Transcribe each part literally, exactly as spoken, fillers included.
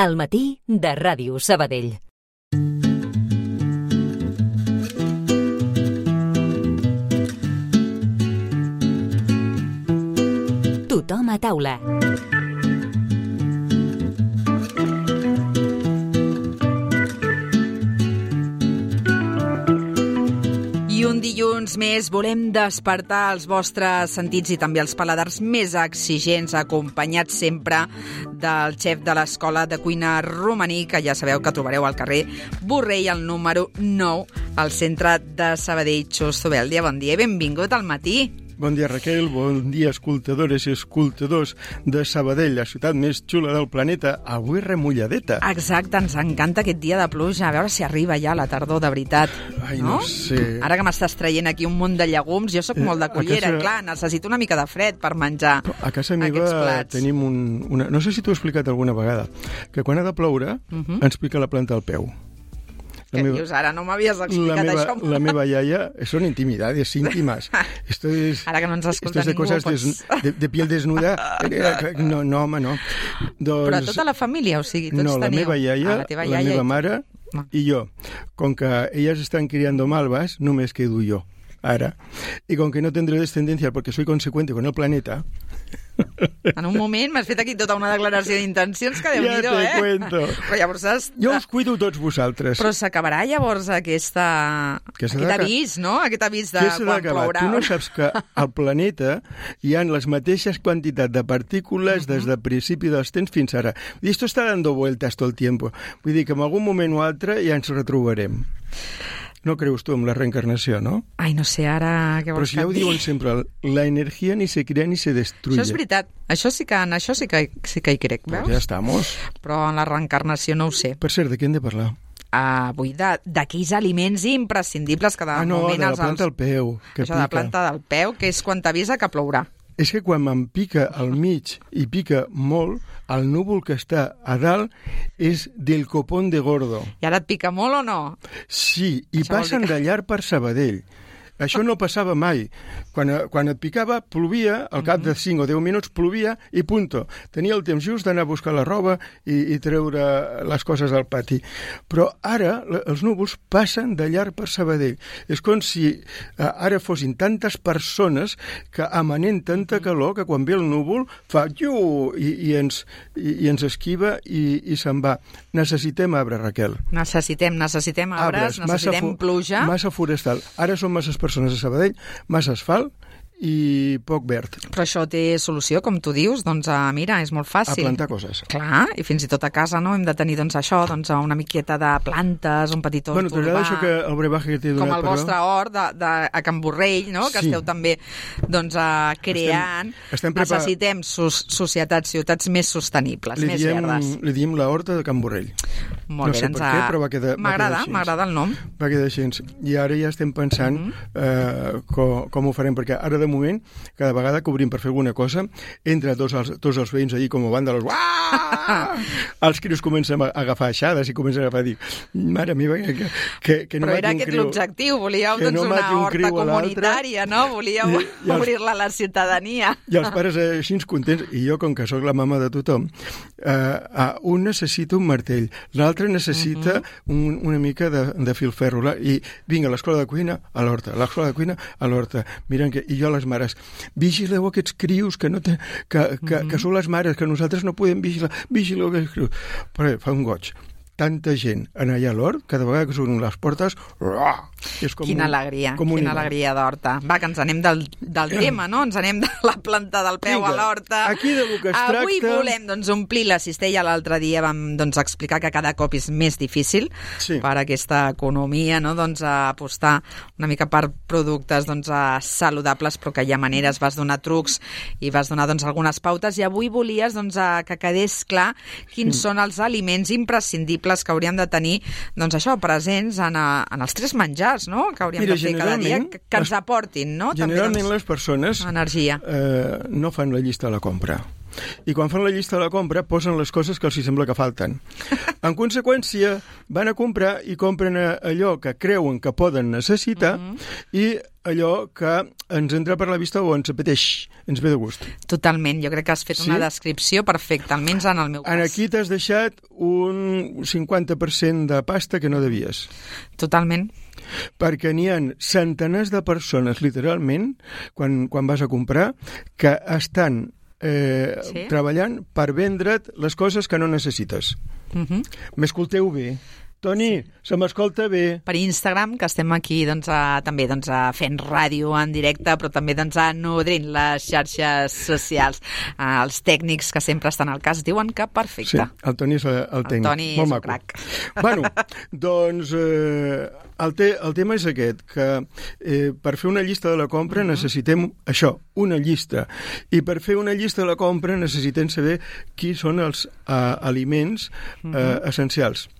Al matí de Ràdio Sabadell. Tothom a taula. I un dilluns més volem despertar els vostres sentits i també els paladars més exigents, acompanyats sempre del xef de l'Escola de Cuina Romaní, que ja sabeu que trobareu al carrer Borrell, al número nou, al centre de Sabadell. Xus Zubeldia, bon dia i benvingut al matí. Bon dia, Raquel. Bon dia, escoltadores i escoltadors de Sabadell, la ciutat més xula del planeta, avui remulladeta. Exacte, ens encanta aquest dia de pluja. A veure si arriba ja la tardor, de veritat. Ai, no, no sé. Ara que m'estàs traient aquí un munt de llegums, jo sóc molt de cullera, casa... clar, necessito una mica de fred per menjar a casa meva tenim un, una... No sé si t'ho he explicat alguna vegada, que quan ha de ploure uh-huh. ens pica la planta al peu. Què meva, dius ara? No m'havies explicat la meva, això. La meva iaia, són intimidades íntimas. Esto es, ara que no ens escolta ningú, de coses des, de, de piel desnuda. No, no, home, no. Doncs, però tota la família, o sigui, tots no, teniu... No, la meva iaia, ah, la, la meva i... mare no. i jo. Com que elles estan criando malvas, només quedo jo, ara. I com que no tendré descendencia porque soy consecuente con el planeta... En un moment m'has fet aquí tota una declaració d'intencions que Déu-n'hi-do, ja eh? Cuento. Però llavors has... Jo us cuido tots vosaltres. Però s'acabarà llavors aquesta... aquest avís, no? Aquest avís de quan plourà. Tu no saps que al planeta hi ha les mateixes quantitats de partícules uh-huh. des del principi dels temps fins ara. I esto está dando vueltas todo el tiempo. Vull dir que en algun moment o altre ja ens retrobarem. No creus tu en la reencarnació, no? Ai, no sé, ara... Què vols Però si ja ho diuen sempre, la energia ni se crea ni se destruye. Això és veritat. Això sí que, en això sí que, sí que hi crec, veus? Pues ja estamos. Però en la reencarnació no ho sé. Per cert, de què hem de parlar? Uh, vull d'aquells aliments imprescindibles que de ah, no, moment... Ah, no, de la planta els... al peu. Que això pica. de la planta del peu, que és quan t'avisa que plourà. És que quan me'n pica al mig i pica molt, el núvol que està a dalt és del copón de gordo. I ara et pica molt o no? Sí, i això passen que... de llarg per Sabadell. Això no passava mai. Quan, quan et picava, plovia, al cap de cinc o deu minuts plovia i punto. Tenia el temps just d'anar a buscar la roba i, i treure les coses al pati. Però ara els núvols passen de llarg per Sabadell. És com si eh, ara fossin tantes persones que emanent tanta calor que quan ve el núvol fa llu i, i, ens, i, i ens esquiva i, i se'n va. Necessitem arbre, Raquel. Necessitem, necessitem arbres, arbres necessitem massa pluja. Massa forestal. Ara són masses persones a Sabadell, massa asfalt i poc verd. Però això té solució, com tu dius, doncs uh, mira, és molt fàcil. A plantar coses. Clar, i fins i tot a casa, no?, hem de tenir doncs això, doncs una miqueta de plantes, un petit hort bueno, urbà. Bueno, això que el brebaje que t'he donat, com el vostre però... hort de, de, a Can Borrell, no?, que sí. Esteu també doncs uh, creant. Estem, estem prepar... Necessitem sos, societats, ciutats més sostenibles, li més diem, verdes. Li diem la horta de Can Borrell. Molt no bé, sé per què, però va quedar, m'agrada, va m'agrada el nom. Va quedar així. I ara ja estem pensant uh-huh. eh, com, com ho farem, perquè ara de moment, cada vegada que obrim per fer alguna cosa, entra tots els, tots els veïns allí com a vàndals, els crios comencen a agafar aixades i comencen a dir, mare meva, que, que, que no però era un aquest criu, l'objectiu, volíeu doncs no una un horta comunitària, no? Volíeu i, i obrir-la a la ciutadania. I els pares així contents, i jo, com que sóc la mama de tothom, eh, un necessita un martell, l'altre necessita uh-huh. un, una mica de, de filferro, i vinga, a l'escola de cuina a l'horta, a l'escola de cuina a l'horta. Miren que, i jo les mares, vigileu aquests crios que, no te, que, que, mm-hmm. que són les mares, que nosaltres no podem vigilar, vigileu aquests crios. Però fa un goig. Tanta gent en allà a l'hort, cada vegada que s'obren les portes, és com quina un, alegria, com quina alegria d'horta. Va, que ens anem del, del tema, no? Ens anem de la planta del peu Vinga, a l'horta. Aquí de lo que es tracta... Avui volem doncs, omplir la cistella. L'altre dia vam doncs, explicar que cada cop és més difícil sí. per aquesta economia, no? doncs, apostar una mica per productes doncs, saludables, però que hi ha maneres, vas donar trucs i vas donar doncs, algunes pautes, i avui volies doncs, que quedés clar quins sí. són els aliments imprescindibles que hauríem de tenir, doncs això, presents en, a, en els tres menjars, no?, que hauríem Mira, de fer cada dia, que, que ens aportin, no?, generalment també, doncs, les persones energia. Eh, no fan la llista a la compra. i quan fan la llista de la compra posen les coses que els hi sembla que falten. En conseqüència, van a comprar i compren allò que creuen que poden necessitar mm-hmm. i allò que ens entra per la vista o ens apeteix, ens ve de gust. Totalment, jo crec que has fet sí? una descripció perfecta, almenys en el meu cas. En aquí t'has deixat un cinquanta per cent de pasta que no devies. Totalment. Perquè n'hi ha centenars de persones, literalment, quan, quan vas a comprar, que estan eh, sí? treballant per vendre't les coses que no necessites. Uh-huh. M'escolteu bé. Toni, sí. se m'escolta bé. Per Instagram, que estem aquí doncs, a, també doncs, a fent ràdio en directe, però també doncs, a nodrint les xarxes socials. Uh, els tècnics que sempre estan al cas diuen que perfecte. Sí, el Toni és el, el tècnic. El Toni Molt és maco. un crac. Bueno, doncs eh, el, te, el tema és aquest, que eh, per fer una llista de la compra uh-huh. necessitem això, una llista. I per fer una llista de la compra necessitem saber qui són els eh, aliments eh, uh-huh. essencials.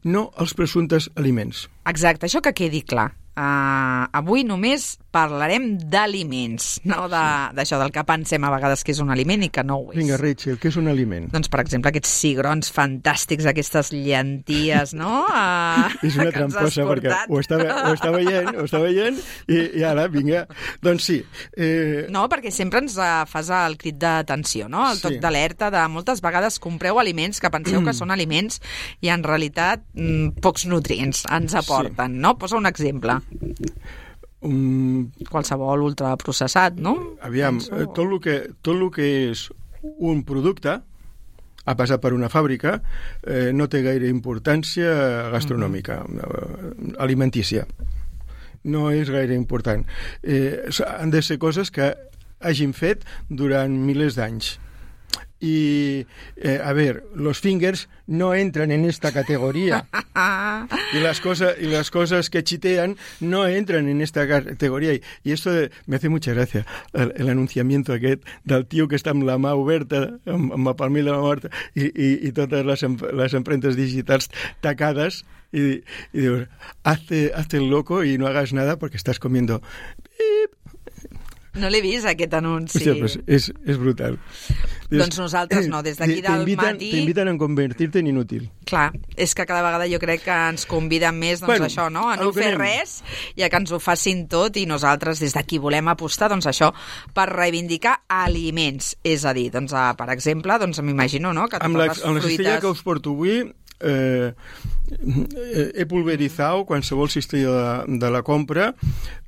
No els presumptes aliments. Exacte, això que quedi clar. Uh, avui només parlarem d'aliments, no d'això sí. del que pensem a vegades que és un aliment i que no ho és. Vinga, Rachel, què és un aliment? Doncs, per exemple, aquests cigrons fantàstics, aquestes llenties, no? Uh, és una tramposa, perquè ho està, ho està veient, ho està veient, i, i ara, vinga, doncs sí. Eh... No, perquè sempre ens uh, fas el crit d'atenció, no? El toc sí. d'alerta de moltes vegades compreu aliments que penseu que són aliments i en realitat mm, pocs nutrients ens aporten, sí. no? Posa un exemple. Um, qualsevol ultraprocessat, no? Aviam, Penso... tot el que, tot el que és un producte ha passat per una fàbrica, eh, no té gaire importància gastronòmica, uh-huh. alimentícia. No és gaire important. Eh, han de ser coses que hagin fet durant milers d'anys. Y, eh, a ver, los fingers no entran en esta categoría. y, las cosas, y las cosas que chitean no entran en esta categoría. Y, y esto de, me hace mucha gracia, el, el anunciamiento aquest del tio que està amb la mà oberta, amb, amb el palmell de la mà oberta, i, i, i totes les, les empremtes digitals tacades, y, y dius, hazte, hazte el loco y no hagas nada porque estás comiendo... No l'he vist, aquest anunci. Hòstia, pues és, és brutal. Dius, doncs nosaltres no, des d'aquí del matí... T'inviten a convertir-te en inútil. Clar, és que cada vegada jo crec que ens conviden més doncs, bueno, això, no? A no fer anem. res i a que ens ho facin tot, i nosaltres des d'aquí volem apostar doncs, això per reivindicar aliments. És a dir, doncs, a, per exemple, doncs, m'imagino no? que totes amb la, les amb fruites... la cistella que us porto avui... Eh, he pulverizado qualsevol cistella de, de la compra,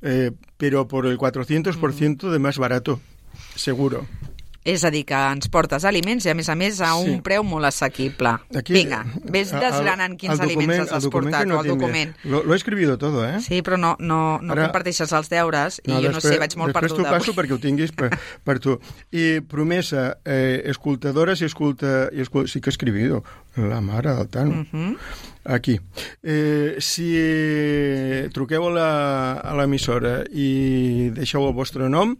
eh, pero por el cuatrocientos por ciento de más barato, seguro. És a dir, que ens portes aliments i, a més a més, a un sí. preu molt assequible. Aquí, Vinga, ves desgranant quins aliments has portat, no o el document. Lo, lo he escribido todo, eh? Sí, però no, no, no Ara, comparteixes els deures i no, jo després, no sé, vaig molt perduda. Després t'ho passo perquè ho tinguis per, per tu. I promesa, eh, escoltadores i escolta... I escolta sí que he escribido, la mare del tant. Uh-huh. Aquí. Eh, si truqueu a l'emissora i deixeu el vostre nom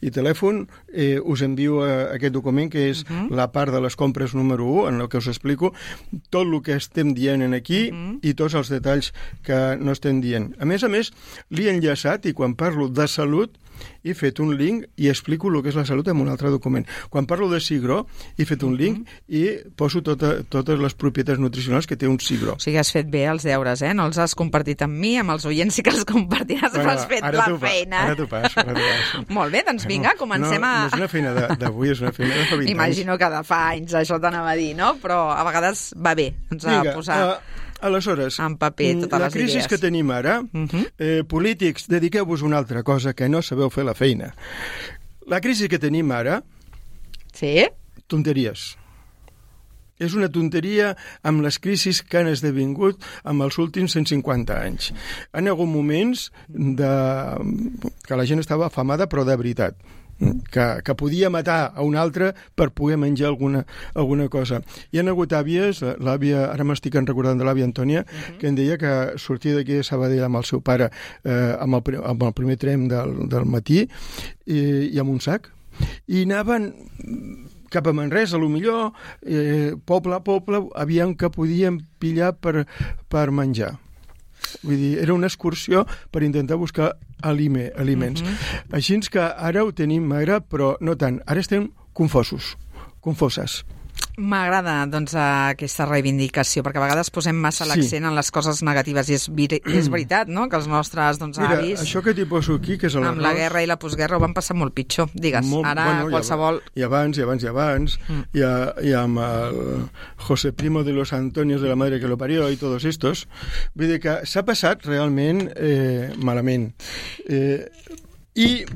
i telèfon, eh, us envio aquest document que és uh-huh. la part de les compres número u, en el que us explico tot el que estem dient aquí uh-huh. i tots els detalls que no estem dient. A més a més, l'he enllaçat i quan parlo de salut he fet un link i explico el que és la salut en un altre document. Quan parlo de cigró, he fet un link uh-huh. i poso tota, totes les propietats nutricionals que té un cigró. O sigui, has fet bé els deures, eh? No els has compartit amb mi, amb els oients sí que els compartiràs, bueno, però has fet la feina. Ara t'ho passo, ara t'ho passo. Molt bé, doncs vinga, comencem no, a... No és una feina d'avui, és una feina de fa vint anys. Imagino que de fa anys, això t'anava a dir, no? Però a vegades va bé, doncs vinga, a posar... Uh... Aleshores, en paper, totes la les crisi idees. que tenim ara, uh-huh. eh, polítics, dediqueu-vos a una altra cosa que no sabeu fer la feina. La crisi que tenim ara... Sí? Tonteries. És una tonteria amb les crisis que han esdevingut amb els últims cent cinquanta anys. Han hagut moments de... que la gent estava afamada, però de veritat. Que, que podia matar a un altre per poder menjar alguna, alguna cosa. Hi ha hagut àvies, l'àvia, ara m'estic recordant de l'àvia Antònia, uh-huh. que em deia que sortia d'aquí de Sabadell amb el seu pare eh, amb, el, amb el primer tren del, del matí i, i amb un sac, i anaven cap a Manresa, a lo millor, eh, poble a poble, aviam que podien pillar per, per menjar. Vull dir, era una excursió per intentar buscar alime, aliments. Uh-huh. Així que ara ho tenim magre, però no tant. Ara estem confosos. confoses. M'agrada, doncs, aquesta reivindicació, perquè a vegades posem massa l'accent sí. en les coses negatives, i és, és veritat, no?, que els nostres doncs, Mira, avis... això que t'hi poso aquí, que és l'arròs... Amb la guerra i la postguerra ho van passar molt pitjor, digues. Molt, Ara bueno, qualsevol... I abans, i abans, i abans, mm. i, a, i amb el José Primo de los Antonios de la madre que lo parió i tots estos, vull dir que s'ha passat realment eh, malament. Eh, I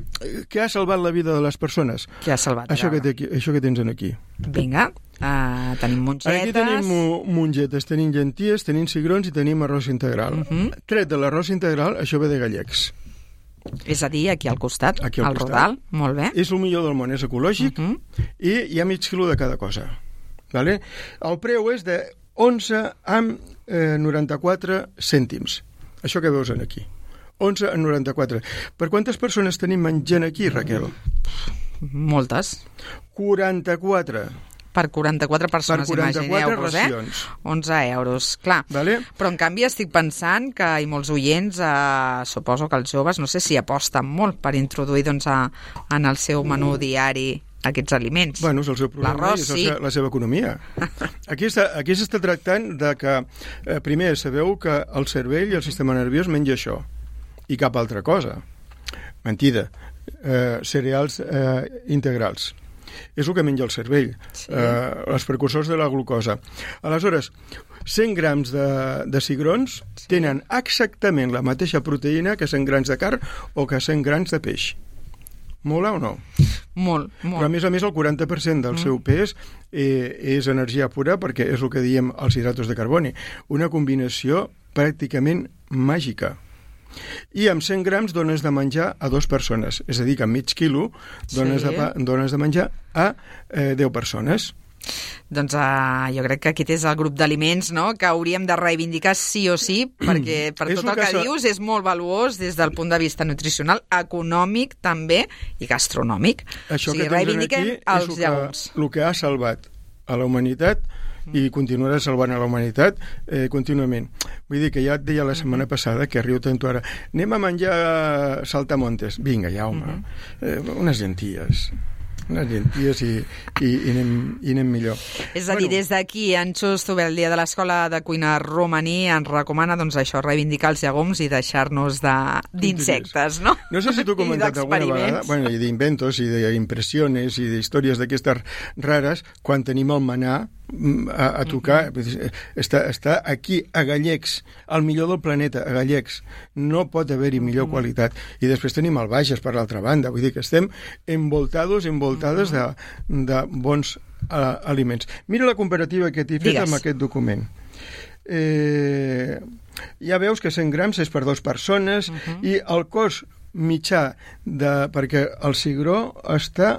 què ha salvat la vida de les persones? Què ha salvat? Això que, té, això que tens aquí. Vinga, uh, tenim mongetes... Aquí tenim mongetes, tenim llenties, tenim cigrons i tenim arròs integral. Uh -huh. Tret de l'arròs integral, això ve de gallecs. És a dir, aquí al costat, aquí al, al costat. Rodal, molt bé. És el millor del món, és ecològic, uh -huh. i hi ha mig quilo de cada cosa. Vale? El preu és de onze amb eh, noranta-quatre cèntims. Això que veus aquí. onze a noranta-quatre. Per quantes persones tenim menjant aquí, Raquel? Moltes. quaranta-quatre. Per quaranta-quatre persones, per quaranta-quatre imagineu-vos, racions. eh? onze euros, clar. Vale? Però, en canvi, estic pensant que hi ha molts oients, eh, suposo que els joves, no sé si aposten molt per introduir doncs, a, en el seu menú diari aquests aliments. Bueno, és el seu problema i és sí. la seva economia. Aquí està, aquí s'està tractant de que, eh, primer, sabeu que el cervell i el sistema nerviós menja això, i cap altra cosa. Mentida. Eh, cereals eh, integrals. És el que menja el cervell. Sí. Eh, els precursors de la glucosa. Aleshores, cent grams de, de cigrons sí. tenen exactament la mateixa proteïna que cent grams de carn o que cent grams de peix. Mola o no? Molt, molt. Però a més a més el quaranta per cent del mm. seu pes eh, és energia pura, perquè és el que diem els hidratos de carboni. Una combinació pràcticament màgica. I amb cent grams dones de menjar a dues persones. És a dir, que amb mig quilo dones, sí. de, dones de menjar a eh, deu persones. Doncs uh, jo crec que aquest és el grup d'aliments, no?, que hauríem de reivindicar sí o sí, perquè per tot el que, que dius és molt valuós des del punt de vista nutricional, econòmic també i gastronòmic. Això o sigui, que reivindiquem aquí els és llegums. El que ha salvat a la humanitat i continuarà salvant a la humanitat eh, contínuament. Vull dir que ja et deia la setmana passada, que riu tant ara, anem a menjar saltamontes. Vinga, ja, home. Eh, unes llenties. unes llenties i, i, i, anem, i anem millor. És a dir, bueno, des d'aquí, en Xus Tubé, el dia de l'Escola de Cuina Romaní, ens recomana doncs, això, reivindicar els llegums i deixar-nos d'insectes, no? No sé si t'ho he comentat alguna vegada, bueno, i d'inventos i d'impressiones i d'històries d'aquestes rares, quan tenim el menà a, a tocar, mm-hmm. està, està aquí a Gallecs, el millor del planeta, a Gallecs, no pot haver-hi millor mm-hmm. qualitat, i després tenim el Bages per l'altra banda, vull dir que estem envoltados, envoltades mm-hmm. de, de bons uh, aliments. Mira la comparativa que t'he fet amb aquest document. Eh, ja veus que cent grams és per dues persones mm-hmm. i el cost mitjà de, perquè el cigró està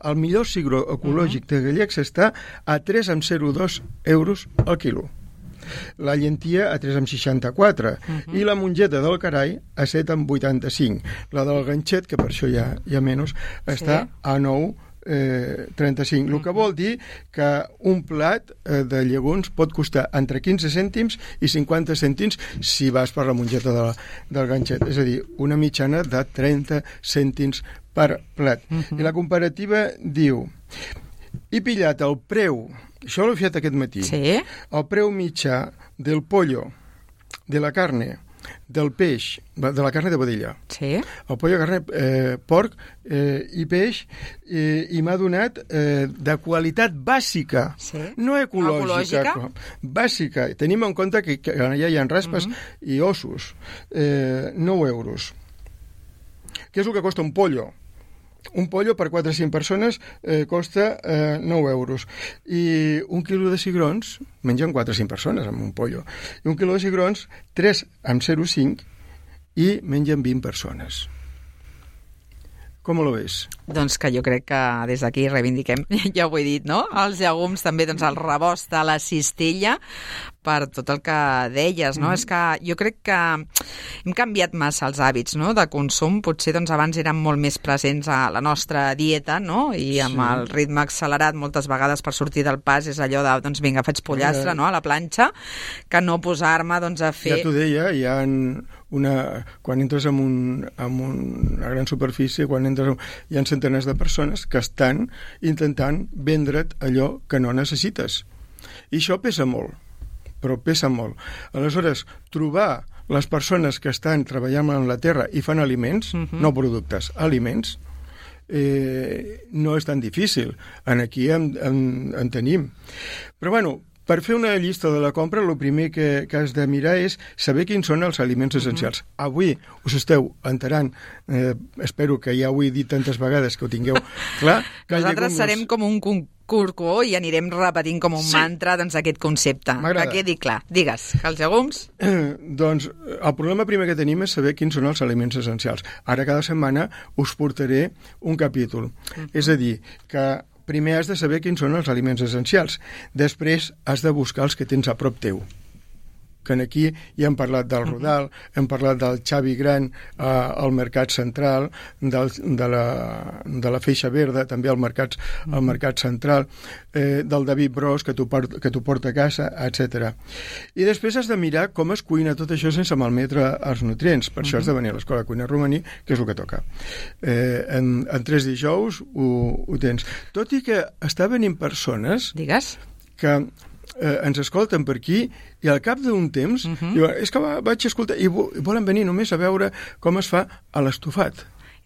el millor cigró ecològic de Gallecs està a tres coma zero dos euros al quilo. La llentia a tres coma seixanta-quatre uh-huh. i la mongeta del Carai a set coma vuitanta-cinc. La del ganxet, que per això hi ha, hi ha menys, està sí. a nou coma trenta-cinc. El que vol dir que un plat eh, de llegums pot costar entre quinze cèntims i cinquanta cèntims si vas per la mongeta de la, del ganxet. És a dir, una mitjana de trenta cèntims per plat. Uh-huh. I la comparativa diu: he pillat el preu, això l'he fet aquest matí, sí? el preu mitjà del pollo, de la carne, del peix, de la carne de vedella. Sí. El pollo, carne, eh, porc eh, i peix, eh, i m'ha donat eh, de qualitat bàsica, sí. no ecològica, ecològica, bàsica. Tenim en compte que, que allà hi ha raspes mm-hmm. i ossos. Eh, nou euros. Què és el que costa un pollo? Un pollo per quatre o cinc persones eh, costa eh, nou euros. I un quilo de cigrons, mengen quatre o cinc persones amb un pollo, i un quilo de cigrons, tres amb zero coma cinc, i mengen vint persones. Com ho ves? Doncs que jo crec que des d'aquí reivindiquem, ja ho he dit, no? Els llegums, també doncs, el rebost de la cistella, per tot el que deies, no? Mm-hmm. És que jo crec que hem canviat massa els hàbits, no?, de consum. Potser doncs, abans eren molt més presents a la nostra dieta, no?, i amb sí. el ritme accelerat moltes vegades per sortir del pas és allò de, doncs vinga, faig pollastre, no?, a la planxa, que no posar-me doncs, a fer... Ja t'ho deia, hi ha una, quan entres en, un, en una gran superfície, quan entres en, hi ha centenars de persones que estan intentant vendre't allò que no necessites. I això pesa molt, però pesa molt. Aleshores, trobar les persones que estan treballant en la terra i fan aliments, uh-huh. no productes, aliments, eh, no és tan difícil. En aquí en, en, en tenim. Però, bueno, per fer una llista de la compra, el primer que, que has de mirar és saber quins són els aliments essencials. Uh-huh. Avui us esteu enterant, eh, espero que ja ho he dit tantes vegades que ho tingueu clar. Que nosaltres serem com un concurcó i anirem repetint com un sí. mantra doncs, aquest concepte. Que quedi clar. Digues, que els llegums... Eh, doncs el problema primer que tenim és saber quins són els aliments essencials. Ara cada setmana us portaré un capítol. Uh-huh. És a dir, que primer has de saber quins són els aliments essencials. Després has de buscar els que tens a prop teu. Que aquí ja hem parlat del Rodal, hem parlat del Xavi Gran eh, al Mercat Central, del, de, la, de la Feixa Verda, també al Mercat, al Mercat Central, eh, del David Bros, que t'ho port, que t'ho porta a casa, etcètera. I després has de mirar com es cuina tot això sense malmetre els nutrients. Per uh-huh. això has de venir a l'Escola de Cuina Romaní, que és el que toca. Eh, en, en tres dijous ho, ho tens. Tot i que està venint persones... Digues. Que... Eh, ens escolten per aquí i al cap d'un temps uh-huh. diuen, és que va, vaig escoltar i volen venir només a veure com es fa a l'estofat.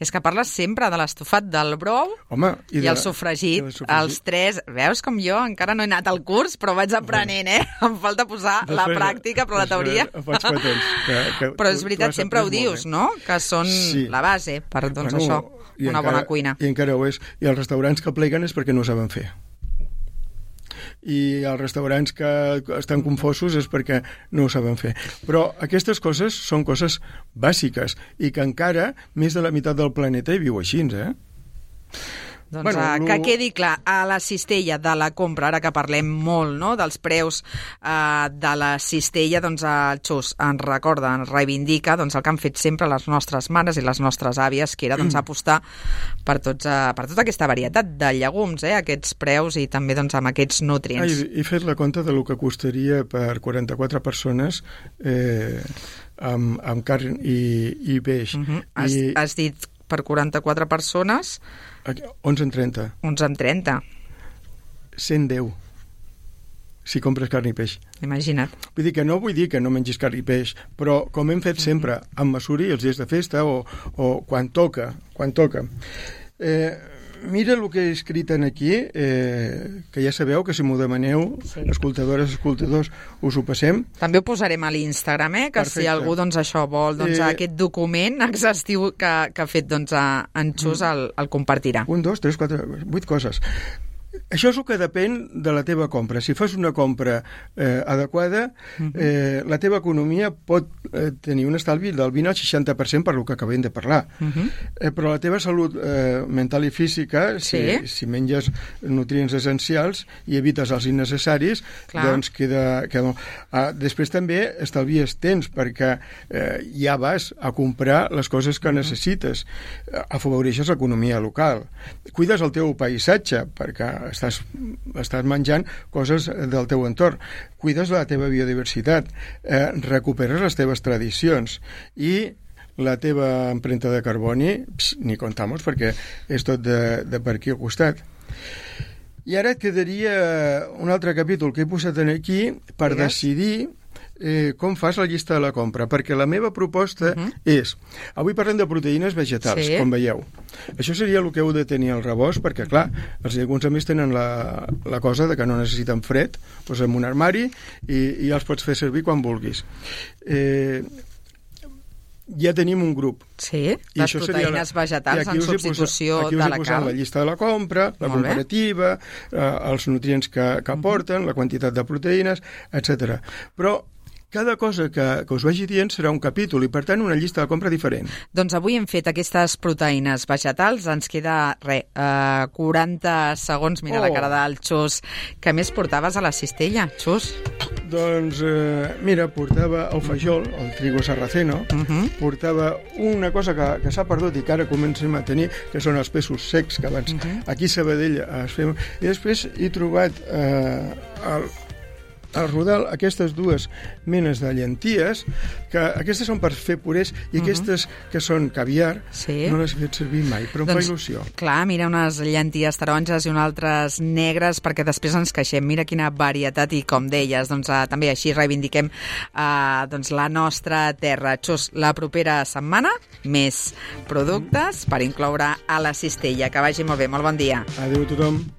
És que parles sempre de l'estofat del brou Home, i, i de, el sofregit, el sofregit, els tres. Veus com jo encara no he anat al curs, però vaig aprenent, eh? Em falta posar després, la pràctica, però la teoria... Faig patents, que, que però és veritat, sempre ho dius, no? Que són sí. la base per, doncs, bueno, això, una encara, bona cuina. I encara ho és. I els restaurants que pleguen és perquè no ho saben fer. I els restaurants que estan confosos és perquè no ho saben fer. Però aquestes coses són coses bàsiques i que encara més de la meitat del planeta hi viu així, eh? Doncs bueno, uh, que quedi clar, a la cistella de la compra, ara que parlem molt no, dels preus uh, de la cistella, doncs el Xus ens recorda, ens reivindica doncs, el que han fet sempre les nostres mares i les nostres àvies, que era doncs, apostar per, tots, uh, per tota aquesta varietat de llegums, eh, aquests preus i també doncs, amb aquests nutrients. Ah, he fet la compta de lo que costaria per quaranta-quatre persones eh, amb, amb carn i, i peix. Uh-huh. Has, I... has dit per quaranta-quatre persones... onze en trenta. onze en trenta. cent deu. Si compres carn i peix. Imagina't. Vull dir que no vull dir que no mengis carn i peix, però com hem fet sempre, amb mesura i els dies de festa o, o quan toca, quan toca. Eh, mira el que he escrit aquí, eh, que ja sabeu que si m'ho demaneu, sí. escoltadores, escoltadors, us ho passem. També ho posarem a l'Instagram, eh, que Perfecte. Si algú doncs, això vol, doncs, eh, aquest document exhaustiu que, que ha fet doncs, en Xus el, el compartirà. Un, dos, tres, quatre, vuit coses. Això és el que depèn de la teva compra. Si fas una compra eh, adequada, eh, la teva economia pot eh, tenir un estalvi del vint al seixanta per cent per lo que acabem de parlar. Uh-huh. eh, però la teva salut eh, mental i física, si, sí. si menges nutrients essencials i evites els innecessaris, Clar. doncs queda... queda ah, després també estalvies temps, perquè eh, ja vas a comprar les coses que uh-huh. necessites. Afavoreixes l'economia local. Cuides el teu paisatge, perquè estàs, estàs menjant coses del teu entorn, cuides la teva biodiversitat, eh, recuperes les teves tradicions i la teva empremta de carboni, pss, ni contamos, perquè és tot de, de per aquí al costat. I ara et quedaria un altre capítol que he posat aquí per Digues. decidir Eh, com fas la llista de la compra, perquè la meva proposta uh-huh. és, avui parlem de proteïnes vegetals, sí. com veieu. Això seria el que heu de tenir al rebost, perquè clar, els llegums a més tenen la, la cosa de que no necessiten fred, doncs en un armari i, i els pots fer servir quan vulguis. Eh, ja tenim un grup. Sí, les proteïnes la... vegetals en substitució posat, de la carn. Aquí us he posat la llista de la compra, la Molt comparativa, eh, els nutrients que, que aporten, uh-huh. la quantitat de proteïnes, etcètera. Però cada cosa que, que us vagi dient serà un capítol i, per tant, una llista de compra diferent. Doncs avui hem fet aquestes proteïnes vegetals. Ens queda, re, uh, quaranta segons. Mira oh. la cara del Xus. Què més portaves a la cistella, Xus? Doncs, eh, mira, portava el fajol, el trigo sarraceno, uh-huh. portava una cosa que, que s'ha perdut i que ara comencem a tenir, que són els peixos secs, que abans uh-huh. aquí a Sabadell es feien. I després he trobat eh, el al Rodal aquestes dues menes de llenties, que aquestes són per fer purés, i uh-huh. aquestes que són caviar, sí. no les he fet servir mai, però em doncs, fa il·lusió. Clar, mira, unes llenties taronges i unes altres negres, perquè després ens queixem. Mira quina varietat, i com deies, doncs, uh, també així reivindiquem uh, doncs, la nostra terra. Xus, la propera setmana, més productes per incloure a la cistella. Que vagi molt bé, molt bon dia. Adéu a tothom.